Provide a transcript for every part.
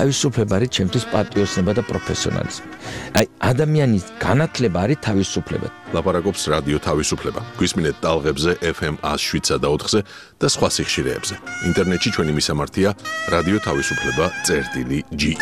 თავისუფლება არის ჩემთვის პატრიოტიზმი და პროფესიონალიზმი. აი ადამიანის განათლება არის თავისუფლება. ლაპარაკობს რადიო თავისუფლება. გვისმინეთ ტალღებზე FM 107.4-ზე და სხვა სიხშირეებზე. ინტერნეტში ჩვენი მისამართია რადიო თავისუფლება.ge.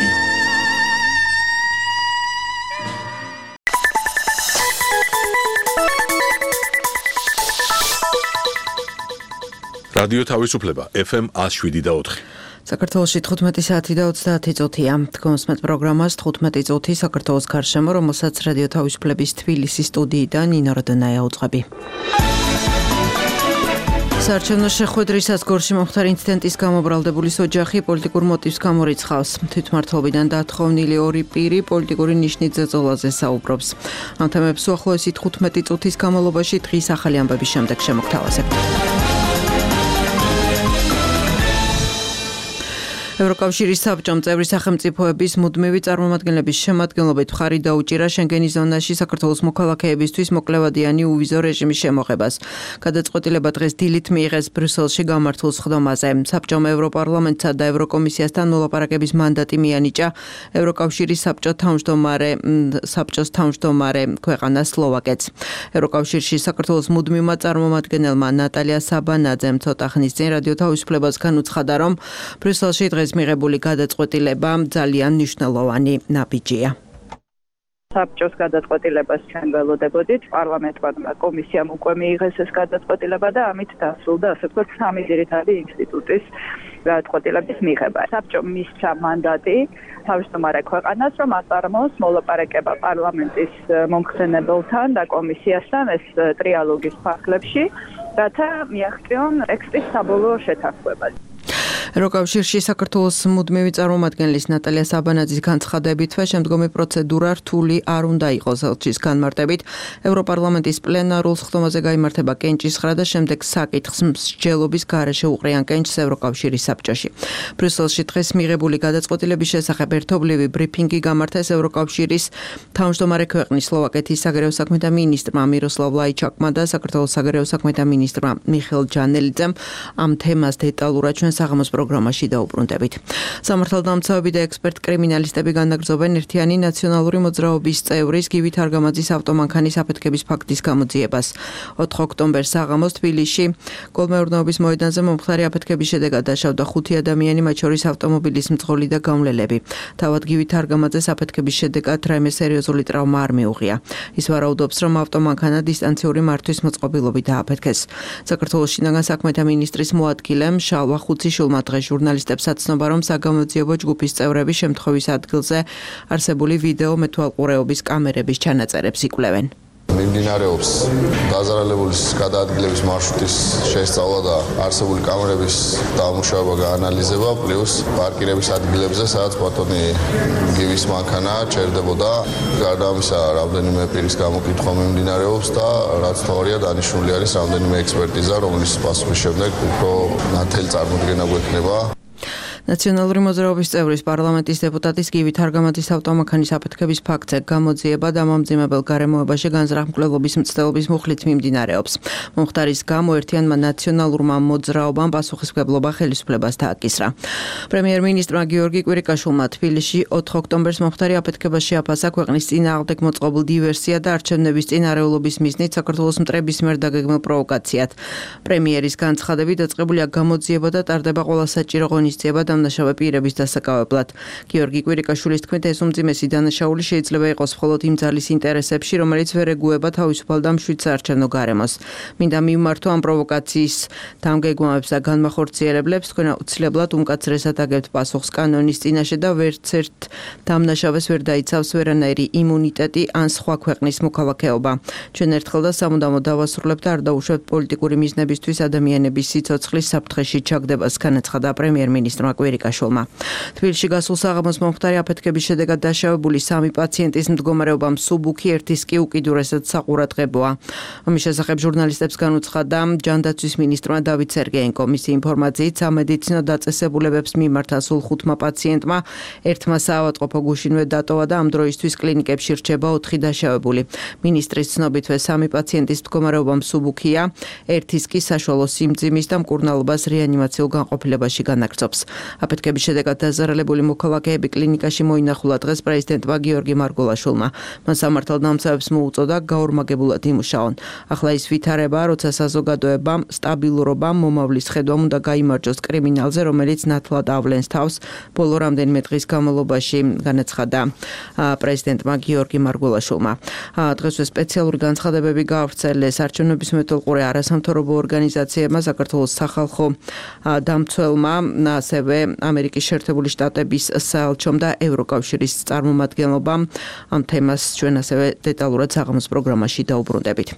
რადიო თავისუფლება FM 107.4. საქართველოში 15 საათი და 30 წუთია. თქვენსმეთ პროგრამას 15 წუთი საქართველოს გარშემო, რომელსაც რადიო თავისუფლების თბილისის სტუდიიდან ნინო როდონაია უძღვები. საარჩევნო შეხვედრისას გორში მომხდარი ინციდენტის გამო ბრალდებულის ოჯახი პოლიტიკურ მოტივს გამორიცხავს. თვითმმართველობიდან დათხოვნილი ორი პირი პოლიტიკური ნიშნით ზეწოლაზე საუბრობს. ამ თემებს უახლოესი 15 წუთის განმავლობაში დღის ახალი ამბების შემდეგ შემოგთავაზებთ. ევროკავშირის საბჭომ წევრი სახელმწიფოების მუდმივი წარმომადგენლების შემადგენლობით მხარი დაუჭირა შენგენის ზონაში საქართველოს მოქალაქეებისთვის მოკლევადიანი უვიზო რეჟიმის შემოღებას. გადაწყვეტილება დღეს დილით მიიღეს ბრიუსელში გამართულ სხდომაზე. საბჭომ ევროპარლამენტსა და ევროკომისიასთან მოლაპარაკების მანდატი მიანიჭა ევროკავშირის საბჭოს თავმჯდომარე ქვეყანა სლოვაკეთს. ევროკავშირში საქართველოს მუდმივმა წარმომადგენელმა ნატალია საბანაძემ ცოტა ხნის წინ რადიო თავისუფლებას განუცხადა, რომ ბრიუსელში დღეს მიღებული გადაწყვეტილება ძალიან მნიშვნელოვანი ნაბიჯია. საბჭოს გადაწყვეტილებას ჩვენ ველოდებოდით, პარლამენტმა კომისიამ უკვე მიიღეს ეს გადაწყვეტილება და ამით დასრულდა, ასე ვთქვათ, სამი ძირითადი ინსტიტუტის გადაწყვეტილების მიღება. საბჭომ მისცა მანდატი თავმჯდომარე ქვეყანას, რომ აწარმოოს მოლაპარაკება პარლამენტის მომხსენებელთან და კომისიასთან ეს ტრიალოგის ფარგლებში, რათა მიაღწიონ ტექსტის საბოლოო შეთანხმება. ევროკავშირში საქართველოს მუდმივი წარმომადგენლის ნატალია საბანაძის განცხადებითვე შემდგომი პროცედურა რთული არ უნდა იყოს ელჩის განმარტებით. ევროპარლამენტის პლენარულ სხდომაზე გაიმართება კენჭისხრა და შემდეგ საკითხს მსჯელობის გარეშე უყრიან კენჭს ევროკავშირის საბჭოში. ბრიუსელში დღეს მიღებული გადაწყვეტილების შესახებ ერთობლივი ბრიფინგი გამართეს ევროკავშირის თავმჯდომარე ქვეყნის სლოვაკეთის საგარეო საქმეთა მინისტრმა მიროსლავ ლაიჩაკმა და საქართველოს საგარეო საქმეთა მინისტრმა მიხეილ ჯანელიძემ. ამ თემას დეტალურად ჩვენ საღამოს პროგრამაში დაუბრუნდებით. სამართალდამცავები და ექსპერტ კრიმინალისტები განაგრძობენ ერთიანი ნაციონალური მოძრაობის წევრის გივით არგამაძის ავტომანქანის აფეთქების ფაქტის გამოძიებას. 4 ოქტომბერს საღამოს თბილისში გოლმეურნეობის მოედანზე მომხდარი აფეთქების შედეგად დაშავდა 5 ადამიანი, მათ შორის ავტომობილის მძღოლი და გამლელები. თავად გივით არგამაძეს აფეთქების შედეგად რაიმე სერიოზული ტრავმა არ მიუღია. ის ვარაუდობს, რომ ავტომანქანა დისტანციური მართვის მოწყობილობით დააფეთქეს. საქართველოს შინაგან საქმეთა მინისტრის მოადგილემ შალვა ხუციშვილმა დღეს ჟურნალისტებს აცნობა, რომ საგამოძიებო ჯგუფის წევრები შემთხვევის ადგილზე არსებული ვიდეო მეთვალყურეობის კამერების ჩანაწერებს იკვლევენ. მიმდინარეობს დაზარალებულის გადაადგილების მარშრუტის შესწავლა და არსებული კამერების დამუშავება, გაანალიზება, პლუს პარკირების ადგილებზე, სადაც ბატონი გივის მანქანა ჩერდებოდა. გარდა ამისა, რამდენიმე პირის გამოკითხვა მიმდინარეობს და რაც თავარია დანიშნული არის რამდენიმე ექსპერტიზა, რომლის პასუხის შემდეგ უფრო ნათელი წარმოდგენა გვექნება. ნაციონალური მოძრაობის წევრის პარლამენტის დეპუტატის გივით არგამაძის ავტომანქანის აფეთქების ფაქტზე გამოძიება და მომძიმებელ გარემოებაში განზრახ-მკვლელობის მცდელობის მუხლით მიმდინარეობს. მომხდარის გამო ერთიანმა ნაციონალურმა მოძრაობამ პასუხისმგებლობა ხელისუფლებას დააკისრა. პრემიერ-მინისტრმა გიორგი კვირიკაშვილმა თბილისში 4 ოქტომბერს მომხდარი აფეთქებას შეაფასა ქვეყნის წინააღმდეგ მოწყობილ დივერსია და არჩევნების წინარეულობის მიზნით საქართველოს მტრების მიერ დაგეგმილ პროვოკაციად. პრემიერის განცხადებით დაწყებულია გამოძიება და ტარდება ყველა საჭირო ღონისძიება დამნაშავე პირების დასაკავებლად. გიორგი კვირიკაშვილის თქმით, ეს უმძიმესი დანაშაული შეიძლება იყოს მხოლოდ იმ ძალის ინტერესებში, რომელიც ვერ ეგუება თავისუფალ და მშვიდ საარჩევნო გარემოს. მინდა მივმართო ამ პროვოკაციის დამგეგმავებს და განმახორციელებლებს, თქვენ აუცილებლად უმკაცრესად აგებთ პასუხს კანონის წინაშე და ვერც ერთ დამნაშავეს ვერ დაიცავს ვერანაირი იმუნიტეტი ან სხვა ქვეყნის მოქალაქეობა. ჩვენ ერთხელ და სამუდამოდ დავასრულებთ და არ დაუშვებთ პოლიტიკური მიზნებისთვის ადამიანების სიცოცხლის საფრთხეში ჩაგდებას, განაცხადა პრემიერ-მინისტრმა კვირიკაშვილმა. თბილისში გასულ საღამოს მომხდარი აფეთქების შედეგად დაშავებული 3 პაციენტის მდგომარეობა მსუბუქი, ერთის კი უკიდურესად საყურადღებოა. ამის შესახებ ჟურნალისტებს განუცხადა ჯანდაცვის მინისტრმა დავით სერგეენკო. მისი ინფორმაციით სამედიცინო დაწესებულებებს მიმართა სულ 5 პაციენტმა, ერთმა საავადმყოფო გუშინვე დატოვა და ამ დროისთვის კლინიკებში რჩება 4 დაშავებული. მინისტრის ცნობითვე 3 პაციენტის მდგომარეობა მსუბუქია, ერთის კი საშუალო სიმძიმის და მკურნალობას რეანიმაციულ განყოფილებაში განაგრძობს. აფეთქების შედეგად დაზარალებული მოქალაქეები კლინიკაში მოინახულა დღეს პრეზიდენტმა გიორგი მარგულაშვილმა. მან სამართალდამცავებს მოუწოდა გაორმაგებულად იმუშაონ. ახლა ის ვითარება, როცა საზოგადოებამ სტაბილურობამ მომავლის ხედვამ უნდა გაიმარჯოს კრიმინალზე, რომელიც ნათლად ავლენს თავს ბოლო რამდენიმე დღის განმავლობაში, განაცხადა პრეზიდენტმა გიორგი მარგულაშვილმა. დღესვე სპეციალური განცხადებები გაავრცელეს არჩევნების მეთვალყურე არასამთავრობო ორგანიზაციებმა, საქართველოს სახალხო დამცველმა, ასევე ამერიკის შეერთებული შტატების საელჩომ და ევროკავშირის წარმომადგენლობამ. ამ თემას ჩვენ ასევე დეტალურად საღამოს პროგრამაში დაუბრუნდებით.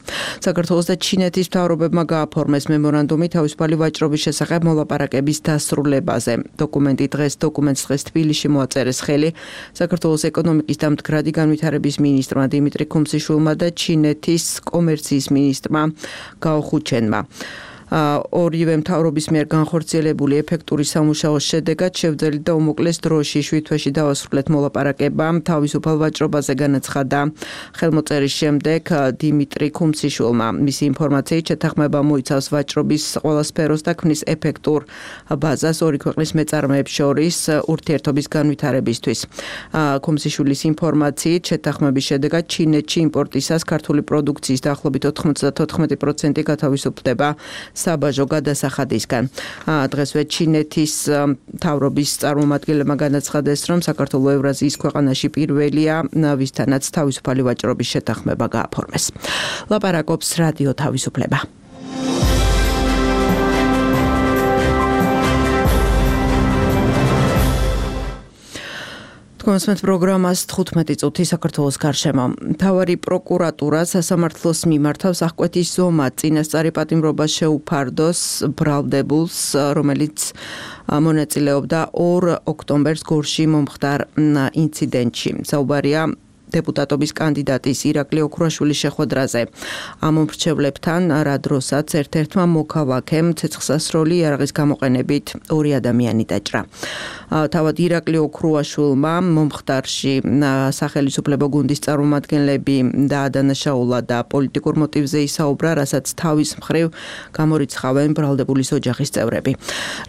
საქართველოს და ჩინეთის მთავრობებმა გააფორმეს მემორანდუმი თავისუფალი ვაჭრობის შესახებ მოლაპარაკების დასრულებაზე. დოკუმენტს დღეს თბილისში მოაწერეს ხელი საქართველოს ეკონომიკის და მდგრადი განვითარების მინისტრმა დიმიტრი ქუმსიშვილმა და ჩინეთის კომერციის მინისტრმა გაო ხუჩენმა. ორივე მთავრობის მიერ განხორციელებული ეფექტური სამუშაოს შედეგად შევძელით და უმოკლეს დროში 7 თვეში დავასრულეთ მოლაპარაკება თავისუფალ ვაჭრობაზე, განაცხადა ხელმოწერის შემდეგ დიმიტრი ქუმსიშვილმა. მისი ინფორმაციით შეთანხმება მოიცავს ვაჭრობის ყველა სფეროს და ქმნის ეფექტურ ბაზას ორი ქვეყნის მეწარმეებს შორის ურთიერთობის განვითარებისთვის. ქუმსიშვილის ინფორმაციით შეთანხმების შედეგად ჩინეთში იმპორტისას ქართული პროდუქციის დაახლოებით 94% გათავისუფლდება საბაჟო გადასახადისგან. დღესვე ჩინეთის მთავრობის წარმომადგენლებმა განაცხადეს, რომ საქართველოს ევრაზიის ქვეყანაში პირველია, ვისთანაც თავისუფალი ვაჭრობის შეთანხმება გააფორმეს. ლაპარაკობს რადიო თავისუფლება. მოსმენთ პროგრამას 15 წუთი საქართველოს გარშემო. მთავარი პროკურატურა სასამართლოს მიმართავს აღკვეთის ზომად წინასწარი პატიმრობას შეუფარდოს ბრალდებულს, რომელიც მონაწილეობდა 2 ოქტომბერს გორში მომხდარ ინციდენტში. საუბარია დეპუტატობის კანდიდატის ირაკლი ოქრუაშვილის შეხვედრაზე. ამ მომრჩევლებთან რა დროსაც ერთ-ერთმა მოქალაქემ ცეცხლსასროლი იარაღის გამოყენებით 2 ადამიანი დაჭრა. თავად ირაკლი ოქრუაშვილმა მომხდარში სახელმწიფო გუნდის წარმომადგენლები დაადანაშაულა და პოლიტიკურ მოტივზე ისაუბრა, რასაც თავის მხრივ გამორიცხავენ ბრალდებულის ოჯახის წევრები.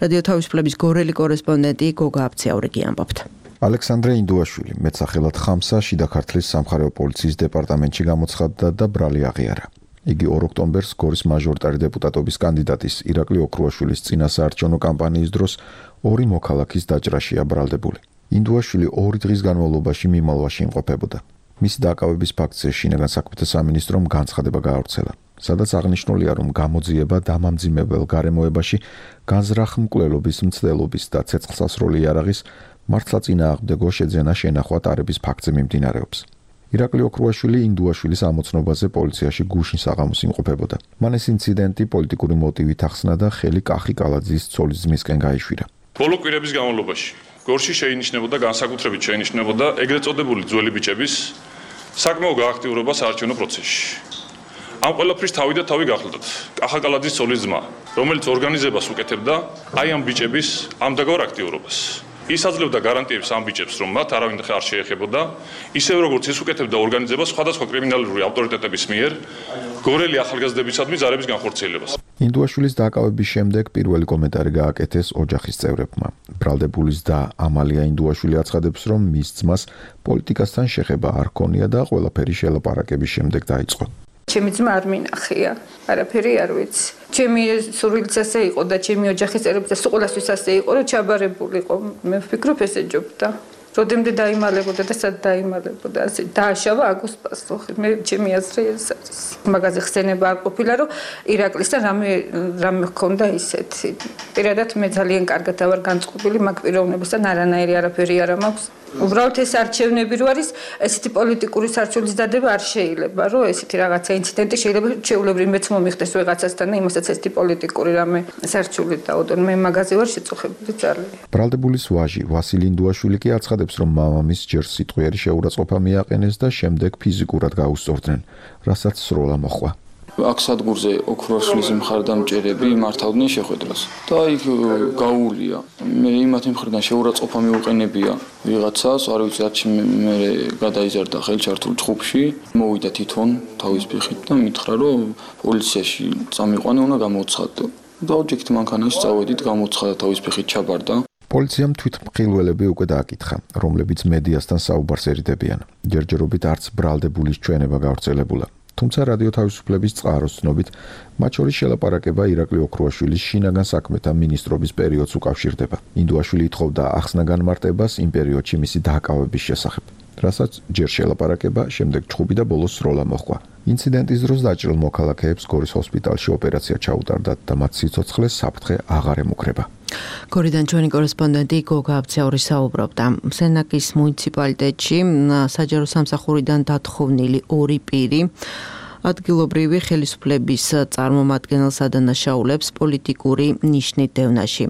რადიო თავისუფლების გორელი კორესპონდენტი გოგა აბციაურიგი ამბობთ. ალექსანდრე ინდუაშვილი მეცახელად ხამსა შიდა ქართლის სამხარეო პოლიციის დეპარტამენტში გამოცხადდა და ბრალი აღიარა. იგი 2 ოქტომბერს გორის მაჟორიტარი დეპუტატობის კანდიდატის ირაკლი ოქრუაშვილის წინასაარჩევნო კამპანიის დროს 2 მოქალაქის დაჭრაშია ბრალდებული. ინდუაშვილი 2 დღის განმავლობაში მიმალვაში იმყოფებოდა. მისი დაკავების ფაქტზე შინაგან საქმეთა სამინისტრომ განცხადება გაავრცელა, სადაც აღნიშნულია, რომ გამოძიება დამამძიმებელ გარემოებაში განზრახ მკვლელობის, მცდელობის და ცეცხლსასროლი იარაღის მართლაწინააღმდეგო შეძენა შენახვა ტარების ფაქტზე მიმდინარეობს. ირაკლი ოქრუაშვილი ინდუაშვილის ამოცნობაზე პოლიციაში გუშინ საღამოს იმყოფებოდა. მან ეს ინციდენტი პოლიტიკური მოტივით ახსნა და ხელი კახი კალაძის ცოლის ძმისკენ გაიშვირა. ბოლო კვირების განმავლობაში გორში შეინიშნებოდა განსაკუთრებით შეინიშნებოდა ეგრეთ წოდებული ძველი ბიჭების საკმაო გააქტიურება საარჩევნო პროცესში. ამ ყველაფრის თავი და თავი გახლდათ კახა კალაძის ცოლის ძმა, რომელიც ორგანიზებას უკეთებდა აი ამ ბიჭების ამდაგარ აქტიურობას. ის აძლევდა გარანტიებს ამ ბიჭებს, რომ მათ არავინ არ შეეხებოდა, ისევ როგორც ის უკეთებდა ორგანიზებას სხვადასხვა კრიმინალური ავტორიტეტების მიერ გორელი ახალგაზრდებისადმი ზარების განხორციელებას. ინდუაშვილის დაკავების შემდეგ პირველი კომენტარი გააკეთეს ოჯახის წევრებმა. ბრალდებულის და ამალია ინდუაშვილი აცხადებს, რომ მის ძმას პოლიტიკასთან შეხება არ ჰქონია და ყველაფერი შელაპარაკების შემდეგ დაიწყო. ჩემი ძმა არ მინახია, არაფერი არ ვიცი. ჩემი სურვილიც ასე იყო და ჩემი ოჯახის წევრებიც ასე ყველასთვის ასე იყო, რომ ჩაბარებულიყო. მე ვფიქრობ ესე ჯობდა. როდემდე დაიმალებოდა და სად დაიმალებოდა, ასე დააშავა აგოს პასუხი. მე ჩემი აზრი ეს არის. მაგაზე ხსენება არ ყოფილა, რომ ირაკლისთან რამე ჰქონდა ისეთი. პირადად მე ძალიან კარგად ვარ განწყობილი მაგ პიროვნებასთან, არანაირი არაფერი არ მაქვს. უბრალოდ ეს არჩევნები რო არის, ესეთი პოლიტიკური სარჩულის დადება არ შეიძლება, რომ ესეთი რაღაცა ინციდენტი შეიძლება შეულებრივ მეც მომიხდეს ვიღაცასთან და იმასაც ესეთი პოლიტიკური რამე სარჩული დაუდონ. მე მაგაზე ვარ შეწუხებული ძალიან. ბრალდებულის ვაჟი ვასილი ინდუაშვილი კი აცხადებს, რომ მამამის ჯერ სიტყვიერი შეურაცხყოფა მიაყენეს და შემდეგ ფიზიკურად გაუსწორდნენ, რასაც სროლა მოხვა. აქ სადგურზე ოქრუაშვილის მხარდამჭერები მართავდნენ შეხვედრას და იქ გაუულია. მე იმათი მხრიდან შეურაცხყოფა მიუყენებია ვიღაცას, არ ვიცი რაც მე გადაიზარდა ხელჩართულ ჯგუფში, მოვიდა თვითონ თავის ფეხით და მითხრა, რომ პოლიციაში წამიყვანე უნდა გამოცხადო. და ოჯექით მანქანაში წავედით, გამოცხადა თავის ფეხით ჩაბარდა. პოლიციამ თვითმხილველები უკვე დააკითხა, რომლებიც მედიასთან საუბარს ერიდებიან. ჯერჯერობით არც ბრალდებულის ჩვენება გავრცელებულა. თუმცა რადიო თავისუფლების წყაროს ცნობით, მათ შორის შელაპარაკება ირაკლი ოქრუაშვილის შინაგან საქმეთა მინისტრობის პერიოდს უკავშირდება. ინდუაშვილი ითხოვდა ახსნა-განმარტებას იმ პერიოდში მისი დააკავების შესახებ. რასაც ჯერ შელაპარაკება, შემდეგ ჩხუბი და ბოლოს სროლა მოჰყვა. ინციდენტის დროს დაჭრილ მოქალაქეებს გორის ჰოსპიტალში ოპერაცია ჩაუტარდათ და მათ სიცოცხლეს საფრთხე აღარ ემუქრება. გორიდან ჩვენი კორესპონდენტი გოგა აბცაური საუბრობდა. სენაკის მუნიციპალიტეტში საჯარო სამსახურიდან დათხოვნილი 2 პირი ადგილობრივი ხელისუფლების წარმომადგენელს ადანაშაულებს პოლიტიკური ნიშნით დევნაში.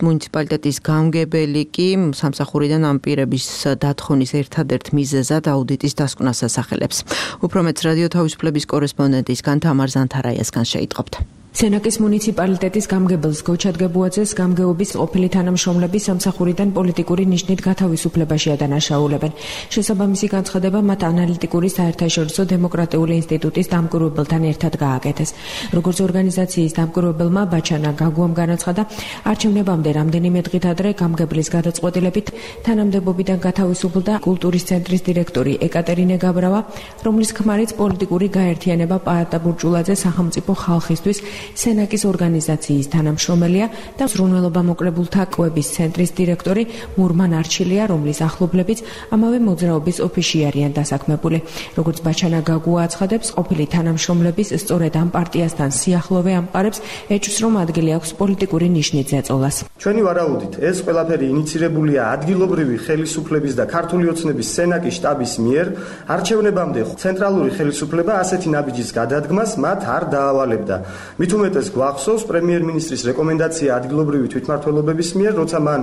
მუნიციპალიტეტის გამგებელი კი სამსახურიდან ამ პირების დათხოვნის ერთადერთ მიზეზად აუდიტის დასკვნას ასახელებს. უფრო მეტს რადიო თავისუფლების კორესპონდენტისგან თამარ ზანთარაიასგან შეიტყობთ. სენაკის მუნიციპალიტეტის გამგებელს გოჩად გებუაძეს გამგეობის ყოფილი თანამშრომლები სამსახურიდან პოლიტიკური ნიშნით გათავისუფლებაში ადანაშაულებენ. შესაბამისი განცხადება მათ ანალიტიკური საერთაშორისო დემოკრატიული ინსტიტუტის დამკვირვებელთან ერთად გააკეთეს. როგორც ორგანიზაციის დამკვირვებელმა ბაჩანა გაგუამ განაცხადა, არჩევნებამდე რამდენიმე დღით ადრე გამგებლის გადაწყვეტილებით თანამდებობიდან გათავისუფლდა კულტურის ცენტრის დირექტორი ეკატერინე გაბრავა, რომლის ქმარიც პოლიტიკური გაერთიანება პაატა ბურჭულაძე სახელმწიფო ხალხისთვის სენაკის ორგანიზაციის თანამშრომელია და ზრუნველობა მოკლებულთა კვების ცენტრის დირექტორი მურმან არჩილია, რომლის ახლობლებიც ამავე მოძრაობის ოფისში არიან დასაქმებული. როგორც ბაჩანა გაგუა აცხადებს, ყოფილი თანამშრომლების სწორედ ამ პარტიასთან სიახლოვე ამყარებს ეჭვს, რომ ადგილი აქვს პოლიტიკური ნიშნით ზეწოლას. ჩვენი ვარაუდით, ეს ყველაფერი ინიცირებულია ადგილობრივი ხელისუფლების და ქართული ოცნების სენაკის შტაბის მიერ. არჩევნებამდე ცენტრალური ხელისუფლება ასეთი ნაბიჯის გადადგმას მათ არ დაავალებდა. მით უმეტეს გვახსოვს პრემიერ-მინისტრის რეკომენდაცია ადგილობრივი თვითმმართველობების მიერ, როცა მან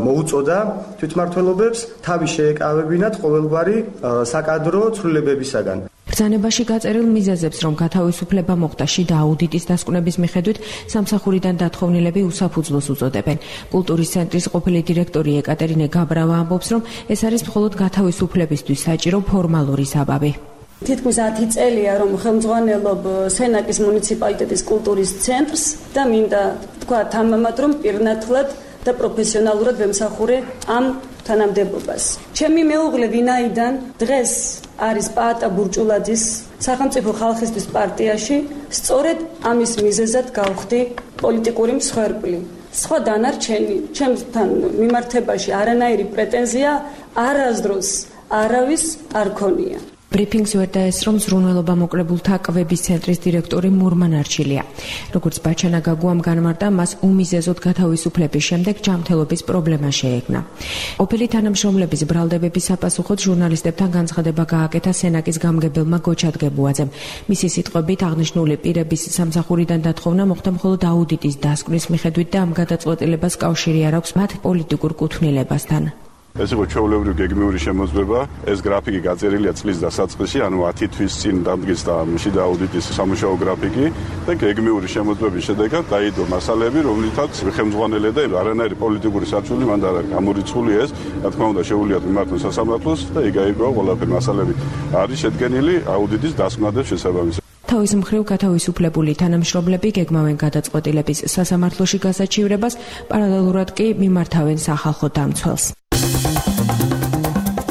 მოუწოდა თვითმმართველობებს თავი შეეკავებინათ ყოველგვარი საკადრო ცვლილებებისაგან. ბრძანებაში გაწერილ მიზეზებს, რომ გათავისუფლება მოხდა შიდა აუდიტის დასკვნების მიხედვით, სამსახურიდან დათხოვნილები უსაფუძვლოს უწოდებენ. კულტურის ცენტრის ყოფილი დირექტორი ეკატერინე გაბრავა ამბობს, რომ ეს არის მხოლოდ გათავისუფლებისთვის საჭირო ფორმალური საბაბი. თითქმის 10 წელია, რომ ხელმძღვანელობ სენაკის მუნიციპალიტეტის კულტურის ცენტრს და მინდა თქვა თამამად, რომ პირნათლად და პროფესიონალურად ვემსახურე ამ თანამდებობას. ჩემი მეუღლე ვინაიდან დღეს არის პაატა ბურჭულაძის სახელმწიფო ხალხისთვის პარტიაში, სწორედ ამის მიზეზად გავხდი პოლიტიკური მსხვერპლი. სხვა დანარჩენი ჩემთან მიმართებაში არანაირი პრეტენზია არასდროს არავის არ ქონია. ბრიფინგს ვერ დაესწრო ზრუნველობა მოკლებულთა კვების ცენტრის დირექტორი მურმან არჩილია. როგორც ბაჩანა გაგუამ განმარტა, მას უმიზეზოდ გათავისუფლების შემდეგ ჯანმრთელობის პრობლემა შეექმნა. ყოფილი თანამშრომლების ბრალდებების საპასუხოდ ჟურნალისტებთან განცხადება გააკეთა სენაკის გამგებელმა გოჩად გებუაძემ. მისი სიტყვებით, აღნიშნული პირების სამსახურიდან დათხოვნა მოხდა მხოლოდ აუდიტის დასკვნის მიხედვით და ამ გადაწყვეტილებას კავშირი არ აქვს მათ პოლიტიკურ კუთვნილებასთან. ეს იყო ჩვეულებრივი გეგმიური შემოწმება. ეს გრაფიკი გაწერილია წლის დასაწყისში, ანუ 10 თვის წინ დამდგეს და შიდა აუდიტის სამუშაო გრაფიკი და გეგმიური შემოწმების შედეგად დაიდო მასალები, რომლითაც ხელმძღვანელი და არანაირი პოლიტიკური სარჩული მან არ გამორიცხული ეს, რა თქმა უნდა, შეუძლიათ მიმართოს სასამართლოს და იგაიგოა ყველაფერი მასალები არის შედგენილი აუდიტის დასკვნადებს შესაბამისად. თავის მხრივ გათავისუფლებული თანამშრომლები გეგმავენ გადაწყვეტილების სასამართლოში გასაჩივრებას, პარალელურად კი მიმართავენ სახალხო დამცველს.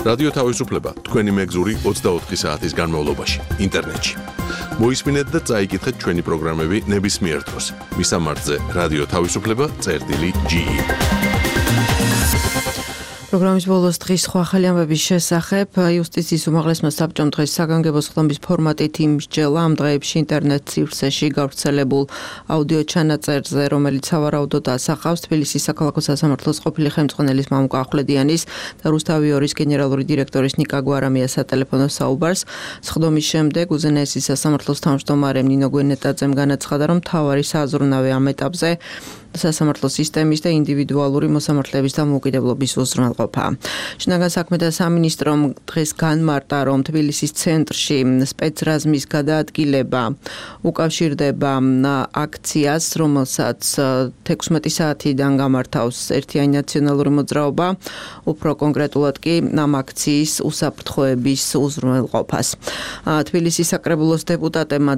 რადიო თავისუფლება თქვენი მეგზური 24 საათის განმავლობაში ინტერნეტში. მოისმინეთ და წაიკითხეთ ჩვენი პროგრამები ნებისმიერ დროს. მისამართზე რადიო თავისუფლება.ge. პროგრამის ბოლოს დღის სხვა ახალი ამბების შესახებ იუსტიციის უმაღლესმა საბჭომ დღეს საგანგებო ხდომის ფორმატით იმსჯელა ამ დღეებში ინტერნეტ სივრცეში გავრცელებულ აუდიო ჩანაწერზე, რომელიც სავარაუდოდ ასახავს თბილისის საქალაქო სასამართლოს ყოფილი ხელმძღვანელის მამუკა ახვლედიანის და რუსთავი 2-ის გენერალური დირექტორის ნიკა გვარამიას სატელეფონო საუბარს. ხდომის შემდეგ უზენაესი სასამართლოს თავმჯდომარე ნინო გვენეტაძემ განაცხადა, რომ მთავარი საზრუნავი ამ ეტაპზე სასამართლო სისტემის და ინდივიდუალური მოსამართლეების დამოუკიდებლობის უზრუნველყოფა. შინაგან საქმეთა სამინისტრომ დღეს განმარტა, რომ თბილისის ცენტრში სპეცრაზმის გადაადგილება უკავშირდება აქციას, რომელსაც 16 საათიდან გამართავს ერთიანი ნაციონალური მოძრაობა, უფრო კონკრეტულად კი ამ აქციის უსაფრთხოების უზრუნველყოფას. თბილისის საკრებულოს დეპუტატებმა